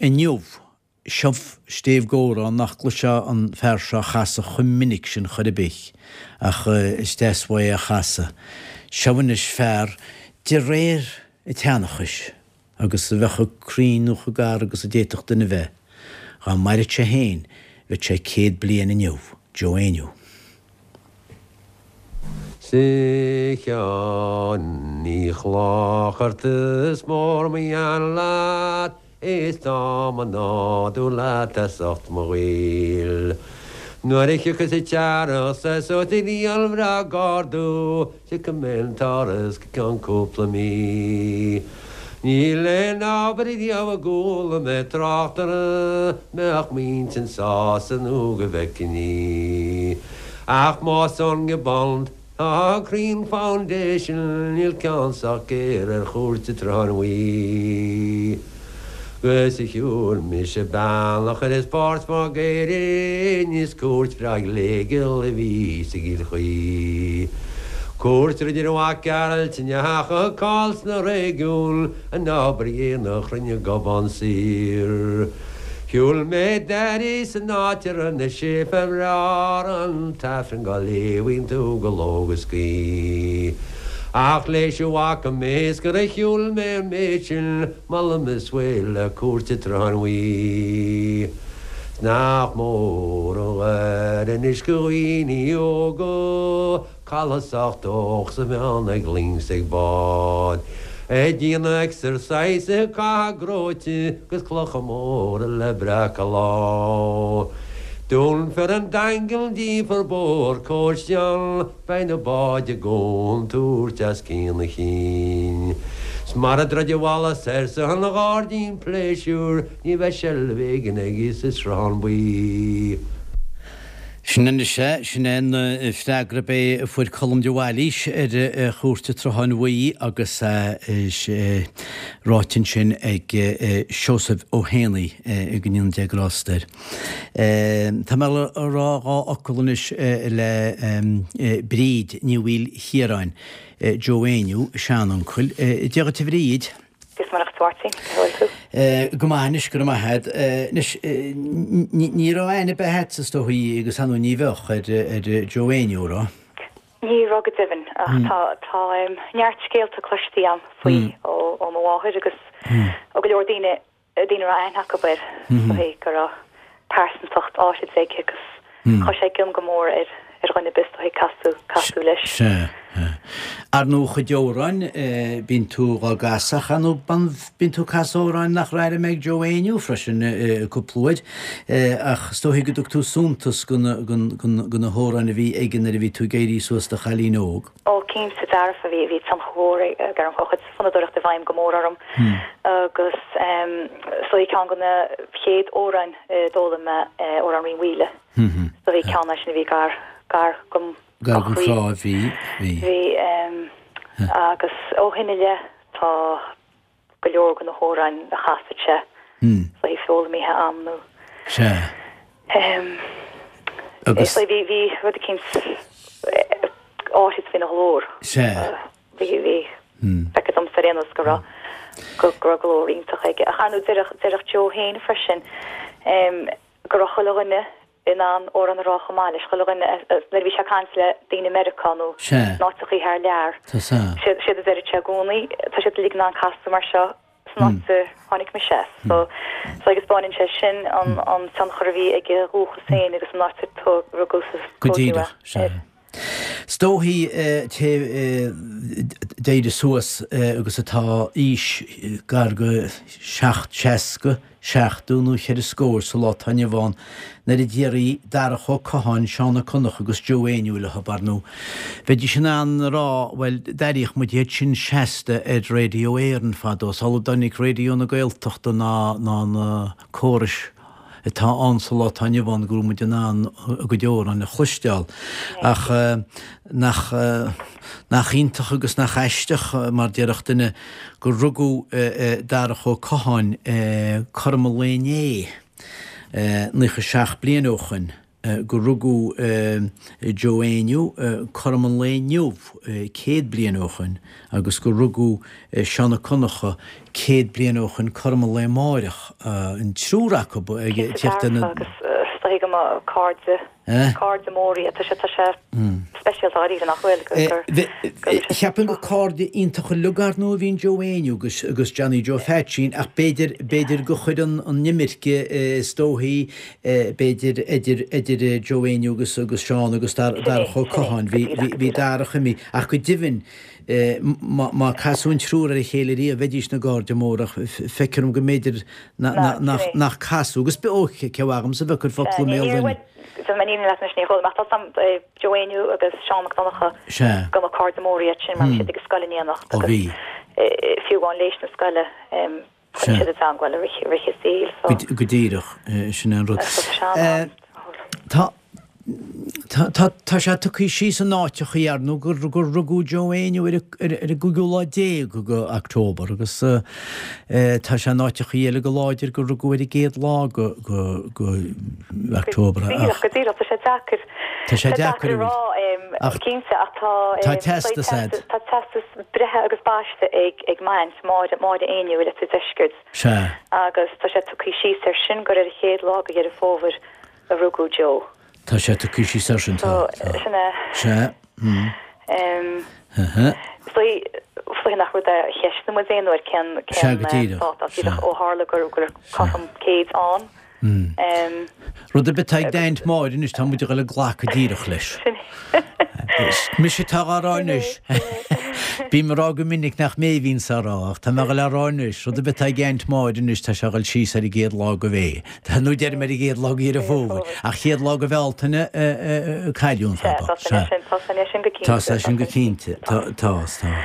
Inniu, seo stéibh gcomhrá nach gcloisfeá an fear seo a chasadh chomh minic sin chor ar bith, ach is deas uaidh é a chasadh. Seo anois fear de réir an tseanchais, agus a bheith chomh cruinn nó chomh gar agus a d'fhéadfadh duine bheith, dhá maireadh sé féin, bheadh sé 100 bliain inniu, Joe Éinniú. 'S a Sheáin Uí Chlochartaigh is mór mo ghean leat is tá mo nádúr leat as ucht mo ghaoil. Nuair a thiocfas an t-earrach 's tosóidh an ghrian bhreá ag ardú tiocfaidh mé 'on t-áras go ceann cúpla mí. Níl aon obair riamh a gcuala mé trácht uirthi mbeadh m'intinn sásta nó go bhfeicfinn í. Ach más ón nGiobán tá Green Foundation níl ceann sách géar ar Chúirt an tSrutháin Bhuí. 'Gus shiúil mise bealach ar is páirt Mhaigh Éirinn is cúirt bhreá ghléigeal a bhí sa gCill Chaoi. Cúirt Ridir Mhac Gearailt a ndeachaigh cáil sna réigiúin an obair dhéanach rinne Gobán saor. Shiúil mé d'aire san áit a raibh na séipéil bhreá an tAifreann dhá léamh iontu go ló agus gaoth. Ach léis a bhfaca mé is gur shiúil mé an méid sin Molaim is bhfuil le Cúirt an tSrutháin Bhuí. 'S nach mór an ghair anois go dhaoine óga cailleadh sách dóch 's a bheith ag loing 's ag bád. Ag déanamh exercise ag caitheamh gróite 'gus clocha móra le breacadh lá. Dúnfar an Daingean díolfar bóthar cóiste ann. Beidh na báid i gcontúirt as cionn a chinn. 'S mara dtroid an bhalla soir 's an ghairdín pléisiúr ní bheidh seilbh éigin aige sa Sruthán Buí. Sin anois é, sin é an freagra ab é a fuair Colm de Bhailís ar Chúirt an tSrutháin Bhuí agus é ráite ansin ag Seosamh Ó hÉanaí, go ndéana Dia grásta air. Tá mé le rá dhá fhocal anois le Bríd Ní Mhaoilchiaráin, Joe Éinniú, a seanuncail. Dia dhuit a Bhríd. Dia is Muire dhuit a Mháirtín, cén chaoi a bhfuil tú? Go maith anois, go raibh maith agat. Anois, ní raibh aithne ar bith agatsa is dóigh agus ar ndóigh ní bheadh ar Joe Éinniú, raibh? Ní raibh go deimhin, ach tá tá neart scéalta cloiste agam faoi ó mo mháthair agus ó go leor daoine daoine a raibh aithne acu air, is dóigh go raibh pearsantacht áithrid aige agus chuir sé i gcion go mór ar ar dhuine ar bith is dóigh casadh casadh leis. Sea. Ar ndóigh a chuid amhráin, bíonn tú dhá gcasadh ach ar ndóigh bíonn tú ag casadh amhráin nach raibh airm ag Joe Éinniú freisin cúpla uair ach is dóigh go dtug tú suntas go na hamhráin a bhí aige nuair a bhí tú ag éirí suas i do chailín óg. Ó, cinnte dearfa, bhí, bhí tionchar mhór aige orm, chuaigh a chuid fonnadóireachta i bhfeidhm go mór orm agus is dóigh ceann de na chéad amhráin a d'fhoghlaim mé, Amhrán Rí Mhaoile, is dóigh ceann é sin a bhí gar, gar dom Gar don chroí, bhí, bhí. Bhí, agus ó shin i leith tá go leor de na hamhráin a chasadh sé is dóigh foghlaimithe a'm nó Sea. Agus. Is bhí bhí rud eicínt áithrid faoina ghlór. Sea. Bhí bhí feictear domsa ar aon nós go raibh go raibh glór iontach aige. Ach ar ndóigh déarfadh déarfadh Joe féin freisin go raibh chuile dhuine in ann amhrán a rá chomh maith leis, chuile dhuine, nuair a bhí sé ag caint le daoine i Meiriceá nó in áiteachaí thar lear, séard a deireadh sé i gcónaí, tá siad uilig in ann casadh mar seo san áit a tháinig mise as. So, so agus baineann sé sin an an tionchar a bhí ag a dhúchas féin agus an áit a rugadh is a Go tógadh díreach, é sea. air. 'S dóichí té d'éirigh suas agus atá aois gar go 60, 70 nó cheithre scór sa lá atá inniu ann, nuair a déarfaí Darach Ó Catháin, Seán Ó Conchúir agus Joe Éinniú leo, ar ndóigh. Bheidís in ann a rá, bhuel, d'airíodh muid iad sin seasta ar Radio Éireann fadó, sula dtáinig Raidió na Gaeltachta ná na córais atá ann sa lá atá inniu ann go raibh muid in ann a gcuid amhrán a chloisteáil. Ach nach, nach iontach agus nach aisteach, mar déarfadh duine, gur rugadh Darach Ó Catháin cothrom an lae inné, 97 bliain ó shoin. gur rugadh Joe Éinniú cothrom an lae inniu 100 bliain ó shoin agus gur rugadh Seán Ó Conchúir 100 bliain ó shoin cothrom an lae amáireach, an triúr acu ag tíocht ar na. Cinnte dearfa agus is dóigh go mba cairde, cairde móra iad. Tá sé, tá sé speisialta dháiríre nach bhfuil, gur, gur, gur sé. Cheapfainn gur cairde iontacha uilig ar ndóigh a bhí in Joe Éinniú agus, agus Johnny Joe Pheaitsín ach b'fhéidir, b'fhéidir gur chuir an, an imirce is dóichí, b'fhéidir, idir, idir Joe Éinniú agus, agus Seán agus Darach Ó Catháin. Bhí, bhí, bhí Darach imithe ach go deimhin, má casadh an triúr ar a chéile riamh bheidís ina gcairde móra ach feictear dom go mb'fhéidir nach casadh agus ó cé agamsa a bheith ag cur focal i mbéal duine. Déanfaidh mé an fhírinne leat anois ní chuala mé ach tá 's a'm Joe Éinniú agus Seán Mac Donncha go mba cairde móra iad sin mar bhí siad ag an scoil in éineacht agus fiú amháin léis na scoile Choinnigh siad i dteangmháil i rith a saoil so. Go díreach, sin é an rud. Tá, tá, tá sé tugtha síos in áiteachaí ar ndóigh gur, gur rugadh Joe Éinniú ar ar an gcúigiú lá déag de October agus tá sé in áiteachaí eile go láidir gur rugadh ar an gcéad lá de, de, de October ach. Go díreach, go díreach, tá sé deacair. Tá sé deacair a rá, cinnte, ach tá, tá teastas a'd. Tá teastas breithe agus baiste ag ag m'aint, Máire, Máire Éinniú i Leitir Deiscirt. Sea. Agus tá sé tugtha síos air sin gur ar an chéad lá de Dheireadh Fómhair a rugadh Joe. Tá sé tugtha síos air sin, tá, tá. So, sin é. Sea. Mm. Em. Is dóigh nach rud é a cheistnigh muid aon uair cén, cén Sea, go díreach. dáta, ach díreach ó tharla gur, gur cothrom céid ann. Rud ar bith atá ag d'aint Máire anois, tá muid ag dul ag glacadh díreach leis. Mise atá á rá anois. Bím ag rá go minic nach mé a bhíonns á rá, ach tá mé ag dul á rá anois. Rud ar bith atá ag aint Máire anois, tá sé ag dul síos ar an gcéad lá de Mhé. Nó deirim ar an gcéad lá de Dheireadh Fómhair. Ach chéad lá de Bhealtaine a cailleadh an fear bocht. Sea, tá san é sin go cinnte. Tá san go cinnte. Tá, tá, tá.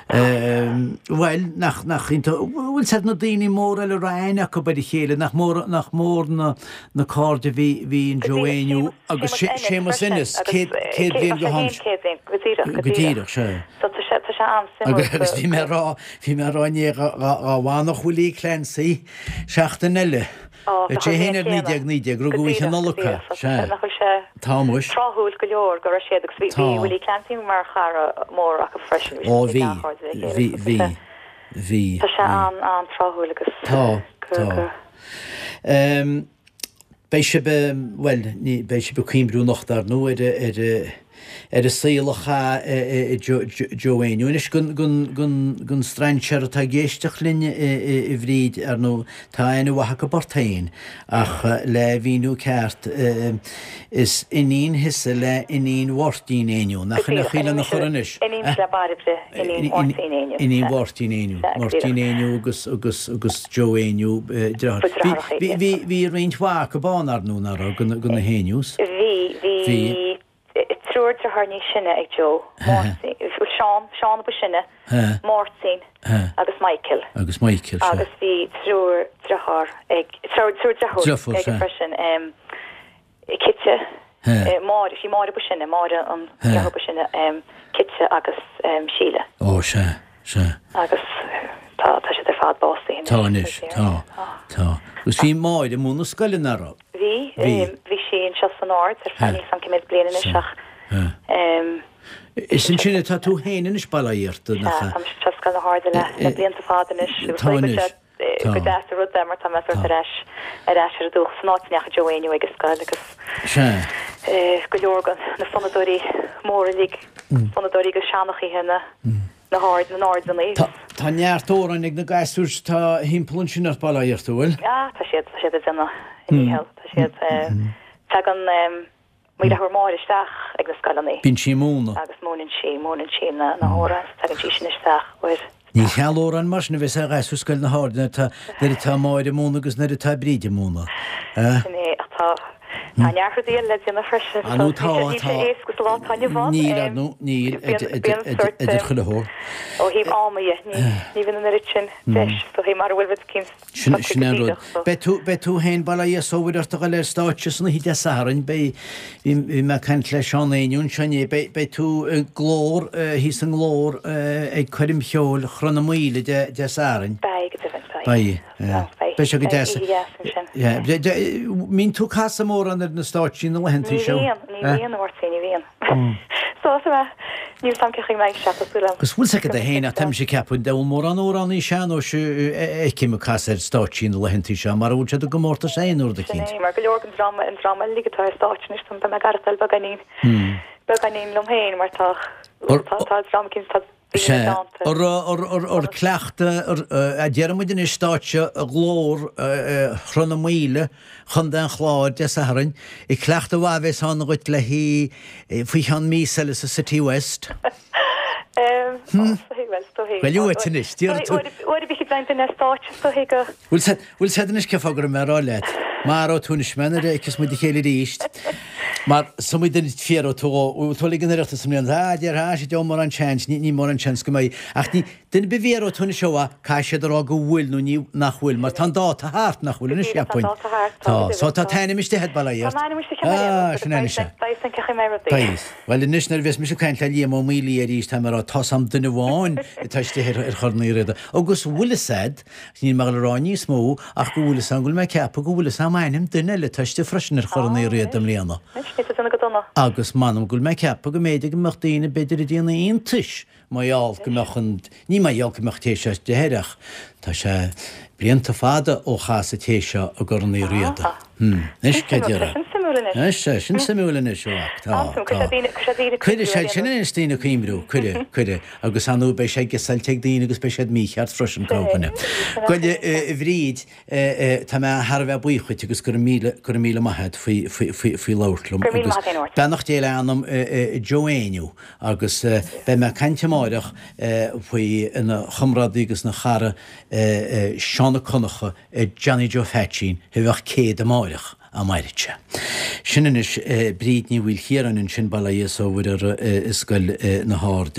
Bhuel, nach, nach iontach, bhfuil 's a'd na daoine móra eile a raibh aithne acu ar a chéile, nach mór, nach mór na, na cairde a bhí, bhí in Joe Éinniú agus Séamus Ennis, 100, 100 bliain go ham. 100 bliain, go díreach, go díreach. Sea. So tá sé, tá sé an-suimiúil. Agus bhí mé ag rá, bhí mé ag rá inné dhá, dhá bhfanfadh Willie Clancy seachtain eile. Tá sé féin ar 1919, rugadh oíche Nollag é. Sea. Nach bhfuil sé Tá muis. tráthúil go leor go raibh siad agus bhí Willie Clancy mar chara mór acu freisin. Ó bhí, bhí, bhí, bhí. Tá sé an-tráthúil agus Tá, tá. Beidh sibh, bhuel, ní, beidh sibh ag cuimhniú anocht ar ndóigh ar, ar, ar an saol a chaith Joe Éinniú. Anois don strainséir atá ag éisteacht linn a Bhríd, ar ndóigh, tá aithne mhaith acu ort féin, ach le mhíniú ceart, is iníon thusa le iníon Mháirtín Éinniú. Nach in é an chaoi lena chur anois? Iníon le Bairbre, iníon Mháirtín Éinniú. Iníon Mháirtín Éinniú. Máirtín Éinniú agus agus agus Joe Éinniú, deartháir. Bhí bhí roinnt mhaith acu ann, ar ndóigh, nach raibh, de na hÉinniús? Bhí, bhí. Triúr deartháir níos sine ag Joe, Máirtín, Seán, Seán a ba shine, Máirtín agus Michael. Agus Michael, sea. Agus bhí triúr deartháir ag, triúr deirfiúr aige freisin, Cite, Máire, sí Máire ba shine, Máire an deirfiúr ba shine, Cite agus Síle. Ó, sea, sea. Agus tá, tá siad ar fad básaithe anois. Tá anois, tá, tá. Agus bhí Máire ag múineadh scoile, nach raibh? Bhí, bhí sí anseo san Aird ar feadh níl 's a'm cé mhéad bliain anois ach. Is ansin atá tú féin anois, bail ó Dhia ort, nach ea? Sea, tá mise anseo i Scoil na hAirde le blianta fada anois agus Tá anois, tá. Go deas an rud é mar tá mé sórt ar ais, ar ais ar an dúchas san áit a ndeachaigh Joe Éinniú ag an scoil agus Sea. go leor de na fonnadóirí móra uilig, fonnadóirí agus seanchaithe na. na hAird, na nAirdeanna. Tá, tá neart amhráin ag na gasúir atá thimpeall ansin ort, bail ó Dhia ort, an bhfuil? Ah, tá siad, tá siad ag déanamh a ndícheall, tá siad, tagann mo dheirfiúr Máire isteach ag na scoileanna. Bíonn sí ag múineadh. Agus múineann sí, múineann sí na na hamhráin, tagann sí sin isteach uair. Ní cheal amhráin mar sin a bheas ar ghasúir Scoil na hAirde nuair atá, nuair atá Máire ag múineadh agus nuair atá Bríd ag múineadh. Sin é, ach tá, Tá neart rudaí eile le déanamh freisin. Ah nó tá, tá. Níl sé éasca sa lá atá inniu ann. Níl, ar ndóigh, níl, idir chuile shórt. Ó thaobh ama dhe, ní bhíonn an oiread sin deis, is dóichí, mara bhfuil rud eicínt Sin é an rud. Beidh tú, beidh tú féin, bail ó Dhia is ó Mhuire ort a dhul ar stáitse san oíche Dé Sathairn, beidh, bhí, bhí mé ag caint le Seán Éinniú anseo inné, beidh, beidh tú i nGlór, thíos i nGlór ag coirm cheoil Chroth na Maoile Dé, Dé Sathairn. Beidh, go deimhin, beidh. Beidh. Beidh sé go deas. Mbíonn tú ag casadh mórán ar na stáitsí na laethanta seo? Ní bhíonn, ní bhíonn, a Mháirtín, ní bhíonn. So, tá mé, níl 's a'm cén chaoi a mbeidh sé, tá súil a'm. Agus bhfuil 's agat féin, ach tá mise ag ceapadh, an bhfuil mórán amhránaí sean-nóis a fheicim ag casadh ar stáitsí na laethanta seo, mara bhfuil siad i gcomórtas aon nó rud eicínt. Sin é, mar go leor den dream, an dream uilig atá ar stáitse anois, tá mé ag aireachtáil beagáinín, beagáinín liom féin mar tá, tá, tá dream eicínt, tá Sea, ar cleachtadh, a déarfaidh muid anois, stáitse Ghlór Shruth na Maoile, Chontae an Chláir, Dé Sathairn. Cleachtadh mhaith a bheas ann dhuit le haghaidh faoi cheann míosa eile sa City West. Bhuel, uait anois, déarfaidh tú. Uair ar bith a bheidh duine ar stáitse, is dóichí go. Bhfuil 's a'd anois cén fáth go raibh mé ag rá leat, maróidh tú anois mé nuair a fheicfeas muid a chéile arís, mar samaoil duine fiafróidh tú dhó, bhfuil tú ag an Oireachtas i mbliana, ah, déarfá, ah, sea, mórán seans, ní, ní mórán seans go mbeidh, ach ní, duine ar bith a bhfiafróidh tú anois ó, ah, caithfidh siad a rá go bhfuil nó ní, nach bhfuil, mar tá an dáta thart, nach bhfuil anois, cheapfainn. Tá an dáta thart, tá. Tá, so tá t'ainm istigh a'd, bail ó Dhia ort. Tá m'ainm istigh cheana, Ah, sin é anois é. Beidh 's a'm cén chaoi a mbeidh rudaí. Beidh. Bhuel anois nuair a bheas mise ag caint le Liam Ó Maolaodha arís, tá mé ag rá, tá's a'm duine amháin atá istigh ar, ar Chorn Uí Riada, agus bhfuil 'fhios a'd, Níl mé ag dul a rá níos mó ach go bhfuil 'fhios a'm go bhfuil mé ag ceapadh go bhfuil 'fhios a'm ainm duine eile atá istigh freisin ar Chorn Uí Riada i mbliana. Agus m'anam go bhfuil mé ag ceapadh go mb'fhéidir go mbeadh daoine b'fhéidir ag déanamh iontais mar gheall go mbeadh an, ní mar gheall go mbeadh an té seo istigh air ach tá sé blianta fada ó chas an té seo i gCorn Uí Riada. Anois, cé déarfá? Sin suimiúil anois. Anois, tá sin suimiúil anois, a mhac. Tá, tá. Cuirfidh sé sin anois daoine ag cuimhniú, cuirfidh, cuirfidh. Agus ar ndóigh beidh sé guessáilte ag daoine agus beidh siad mícheart freisin, corrdhuine. Bhuel, a Bhríd, tá mé thar a bheith buíoch dhuit agus go raibh míle, go raibh míle maith agat faoi, faoi, faoi, faoi labhairt liom. Go raibh míle maith agat féin, a Mháirtín. Beannacht Dé le anam Joe Éinniú agus beidh mé ag caint amáireach faoi ina chomrádaí agus ina chara Seán Ó Conchadha, Johnny Joe Pheaitsín, a bheadh 100 amáireach, dá mairfeadh sé. Sin anois Bríd Ní Mhaoilchiaráin ansin, bail ó Dhia is ó Mhuire uirthi i Scoil na hAirde.